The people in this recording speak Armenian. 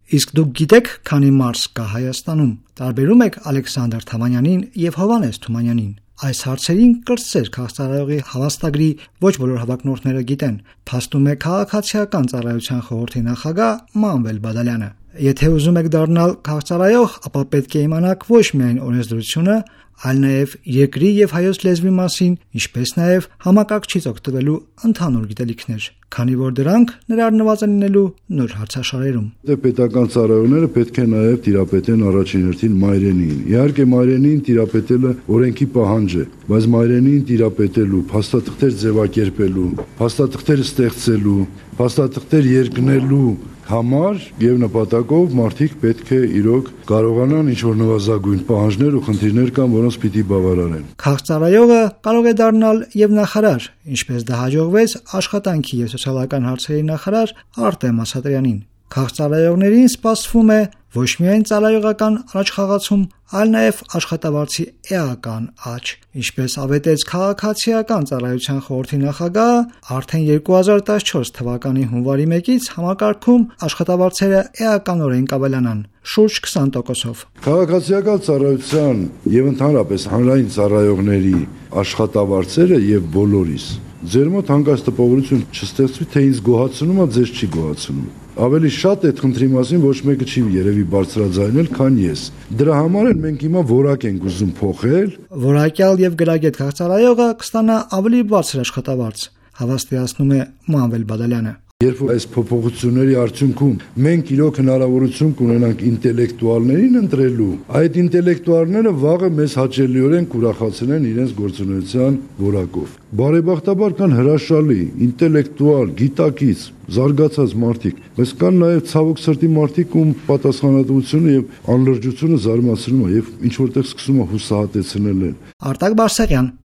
Իսկ դուք գիտեք, քանի մարզ կա Հայաստանում։ Տարբերում եք Ալեքսանդր Թամանյանին եւ Հովհաննես Թումանյանին։ Այս հարցերին կրտսեր քաղաքծառայողի հավաստագրի ոչ բոլոր հավակնորդները գիտեն, փաստում է Քաղաքացիական ծառայության խորհրդի նախագահ Մանվել Բադալյանը։ Եթե ուզում եք դառնալ քաղաքծառայող, ապա պետք է իմանաք ոչ միայն օրենսդրությունը, այլ նաև երկրի եւ հայոց լեզվի մասին, ինչպես նաև համակարգչից օգտվելու ընդհանուր գիտելիքներ, քանի որ դրանք ներառնված են լինելու նոր հարցաշարերում։ Պետական ծառայողները պետք է նաև տիրապետեն առաջին հերթին մայրենին։ Իհարկե մայրենին տիրապետելը օրենքի պահանջ է, բայց մայրենին տիրապետելու, փաստաթղթեր ձևակերպելու, փաստաթղթեր ստեղծելու, փաստաթղթեր երկնելու համար եւ նպատակով մարդիկ պետք է իրոք կարողանան ինչ-որ նվազագույն պահանջներ ու խնդիրներ կան, որոնց պիտի բավարարեն։ Քաղաքծառայողը կարող է դառնալ եւ նախարար, ինչպես դա հաջողվեց աշխատանքի եւ սոցիալական հարցերի նախարար Արտեմ Ասատրյանին։ Քաղաքծառայողներին սպասվում է ոչ միայն ծառայողական առաջխաղացում, այլ նաև աշխատավարձի էական աճ, ինչպես ավետեց Քաղաքացիական ծառայության խորհրդի նախագահը, արդեն 2014 թվականի հունվարի 1-ից համակարգում աշխատավարձերը էականորեն կավելանան շուրջ 20%-ով։ Քաղաքացիական ծառայության եւ ընդհանրապես հանրային ծառայողների աշխատավարձերը եւ բոլորիս ձեր մոտ հանկարծ տպավորություն չստեղծվի, թե ինձ գոհացնում է, ձեզ չի գոհացնում։ Ավելի շատ այդ խնդրի մասին ոչ մեկը չի երևի բարձրաձայնել, քան ես։ Դրա համար էլ մենք հիմա որակ ենք ուզում փոխել։ Որակյալ եւ գրագետ քաղաքծառայողը կստանա ավելի բարձր աշխատավարձ, հավաստիացնում է Մանվել Բադալյանը։ Երբ այս փոփոխությունների արդյունքում մենք իրոք հնարավորություն կունենանք ինտելեկտուալներին ընտրելու, այդ ինտելեկտուալները վաղը մեզ հաճելիորեն կուրախացնեն իրենց գործունեության որակով։ Բարեբախտաբար կան հրաշալի, ինտելեկտուալ, գիտակից, զարգացած մարդիկ, բայց կան նաև ցավոք սրտի մարդիկ, ում պատասխանատվությունը եւ անլրջությունը զարմացնում է եւ ինչ որտեղ սկսում է հուսահատեցնել են։ Արտակ Բարսեղյան